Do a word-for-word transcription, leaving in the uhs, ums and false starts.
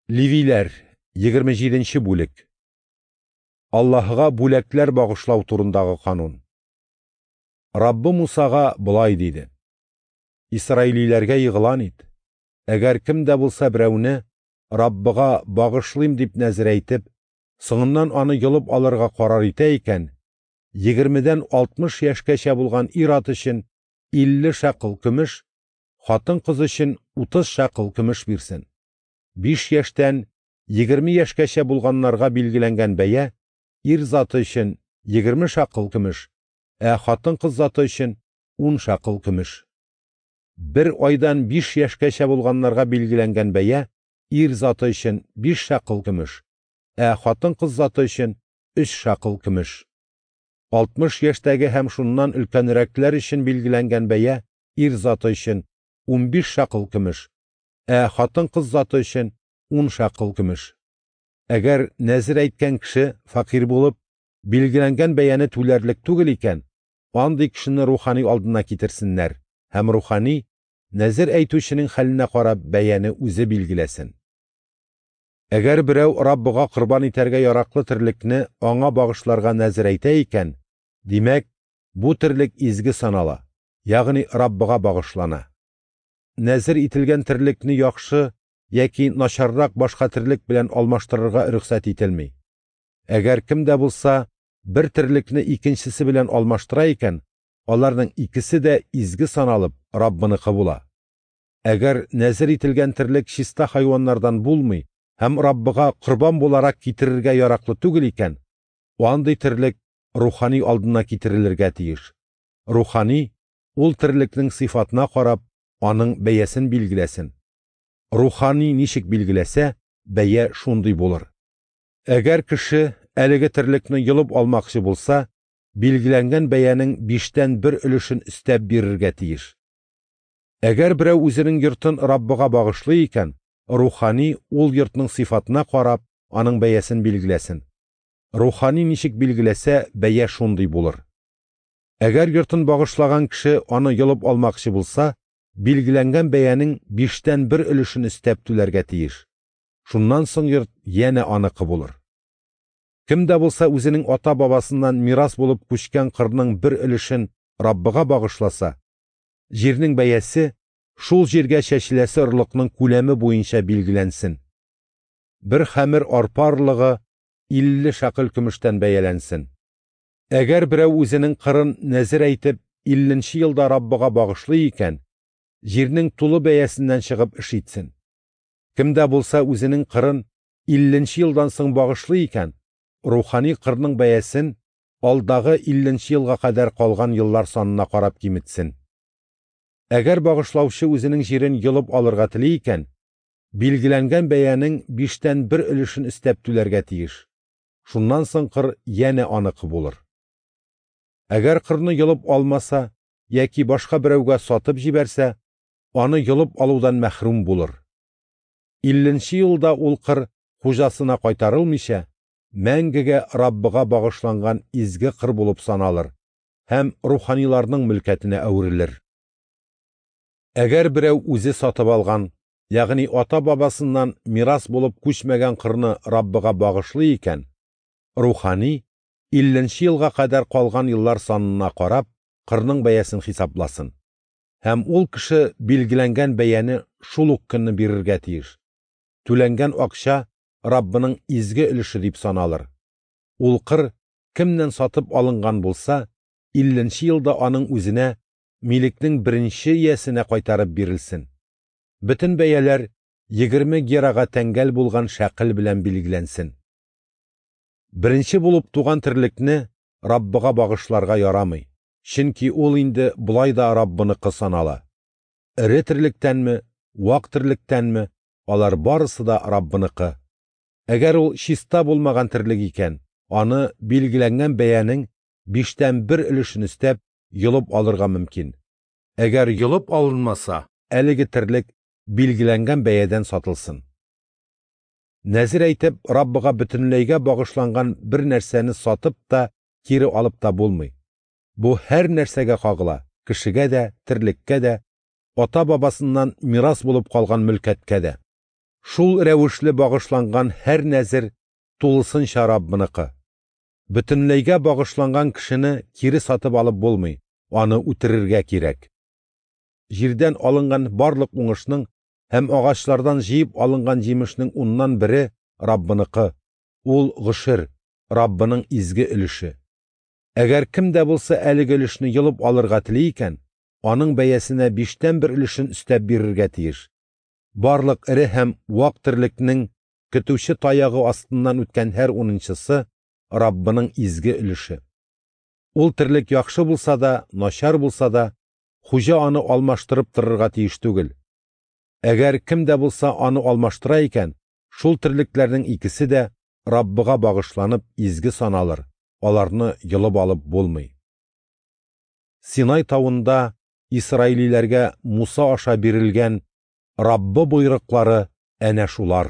Левиләр, егерме җиденче бүлек. Аллаһыга бүләкләр багышлау турындагы канун. Раббы Мусага болай диде: Исраилиләргә игълан ит: әгәр кем дә булса берәүне Раббыга багышлыйм дип нәзер әйтеп, соңыннан аны йолып алырга карар итә икән, егермедән алтмыш яшькәчә булган ир-ат өчен илле шәкыл көмеш, хатын-кыз өчен утыз шәкыл көмеш бирсен. Биш яшьтән егерме яшькәчә булганнарга билгеләнгән бәя ир заты өчен егерме шәкыл көмеш, ә хатын-кыз заты өчен ун шәкыл көмеш. Бер айдан биш яшькәчә булганнарга билгеләнгән бәя ир заты өчен биш шәкыл көмеш, ә хатын-кыз заты өчен өч шәкыл көмеш. Алтмыш яшьтәге һәм шуннан өлкәнрәкләр өчен билгеләнгән бәя ир заты өчен унбиш шәкыл көмеш, ә хатын-кыз заты өчен ун шәкыл көмеш. Әгәр нәзер әйткән кеше фәкыйрь булып, билгеләнгән бәяне түләрлек түгел икән, андый кешене рухани алдына китерсеннәр һәм рухани нәзер әйтүченең хәленә карап бәяне үзе билгеләсен. Әгәр берәү Раббыга корбан итәргә яраклы терлекне аңа багышларга нәзер әйтә икән, димәк, бу терлек изге санала, ягъни Раббыга багышлана. Нәзер ителгән терлекне яхшы яки начаррак башка терлек белән алмаштырырга рөхсәт ителми. Әгәр кем дә булса бер терлекне икенчесе белән алмаштыра икән, аларның икесе дә изге саналып Раббыныкы була. Әгәр нәзер ителгән терлек чиста хайваннардан булмый һәм Раббыга корбан буларак китерергә яраклы түгел икән, андый терлек рухани алдына китерелергә тиеш. Рухани ул терлекнең сыйфатына карап, аның бәясен билгеләсен. Рухани ничек билгеләсә, бәя шундый булыр. Әгәр кеше әлеге терлекне йолып алмакчы булса, билгеләнгән бәянең биштән бер өлешен өстәп бирергә тиеш. Әгәр берәү үзенең йортын Раббыга багышлый икән, рухани ул йортның сыйфатына карап, аның бәясен билгеләсен. Рухани ничек билгеләсә, бәя шундый булыр. Әгәр йортын багышлаган кеше аны йолып алмакчы булса, билгеләнгән бәянең биштән бер өлешен өстәп түләргә тиеш. Шуннан соң йорт янә аныкы булыр. Кем дә булса үзенең ата-бабасыннан мирас булып күчкән кырның бер өлешен Раббыга багышласа, җирнең бәясе шул җиргә чәчеләсе орлыкның күләме буенча билгеләнсен. Бер хәмер арпа орлыгы илле шәкел көмештән бәяләнсен. Әгәр берәү үзенең кырын нәзер әйтеп илленче елда Раббыга багышлый икән, җирнең тулы бәясеннән чыгып эш итсен. Кем дә булса үзенең кырын илленче елдан соң багышлый икән, рухани кырның бәясен алдагы илленче елга кадәр калган еллар санына карап киметсен. Әгәр багышлаучы үзенең җирен йолып алырга тели икән, билгеләнгән бәянең биштән бер өлешен өстәп түләргә тиеш. Шуннан соң кыр янә аныкы булыр. Әгәр кырны йолып алмаса яки башка берәүгә сатып җибәрсә, аны йолып алудан мәхрүм булыр. Илленче елда ул кыр хуҗасына кайтарылмыйча, мәңгегә Раббыга багышланган изге кыр булып саналыр һәм руханиларның мөлкәтенә әверелер. Әгәр берәү үзе сатып алган, ягъни ата-бабасыннан мирас булып күчмәгән кырны Раббыга багышлый икән, рухани илленче елга кадәр калган еллар санына карап, кырның бәясен хисапласын. Һәм ул кеше билгеләнгән бәяне шул ук көнне бирергә тиеш. Түләнгән акча Раббының изге өлеше дип саналыр. Ул кыр кемнән сатып алынган булса, илленче елда аның үзенә милекнең беренче иясенә кайтарып бирелсен. Бөтен бәяләр егерме герага тәңгәл булган шәкел белән билгеләнсен. Беренче булып туган терлекне Раббыга багышларга ярамый, чөнки ул инде болай да Раббыныкы санала. Эре терлектәнме, вак терлектәнме, алар барысы да Раббыныкы. Әгәр ул чиста булмаган терлек икән, аны билгеләнгән бәянең биштән бер өлешен өстәп йолып алырга мөмкин. Әгәр йолып алынмаса, әлеге терлек билгеләнгән бәядән сатылсын. Нәзер әйтеп, Раббыга бөтенләйгә багышланган бер нәрсәне сатып та, кире алып та булмый. Бу һәр нәрсәгә кагыла, кешегә дә, терлеккә дә, ата-бабасыннан мирас булып калган мөлкәткә дә. Шул рәвешле багышланган һәр нәзер тулысынча Раббыныкы. Бөтенләйгә багышланган кешене кире сатып алып булмый, аны үтерергә кирәк. Җирдән алынган барлык уңышның һәм агачлардан җыеп алынган җимешнең уннан бере Раббыныкы, ул гошер, Раббының изге өлеше. Әгәр кем дә булса әлеге өлешне йолып алырга тели икән, аның бәясенә биштән бер өлешен өстәп бирергә тиеш. Барлык эре һәм вак терлекнең көтүче таягы астыннан үткән һәр унынчысы Раббының изге өлеше. Ул терлек яхшы булса да, начар булса да, хуҗа аны алмаштырып торырга тиеш түгел. Әгәр кем дә булса аны алмаштыра икән, шул терлекләрнең икесе дә Раббыга багышланып изге саналыр, аларны йолып алып булмый. Синай тавында исраилиләргә Муса аша бирелгән Раббы боерыклары әнә шулар.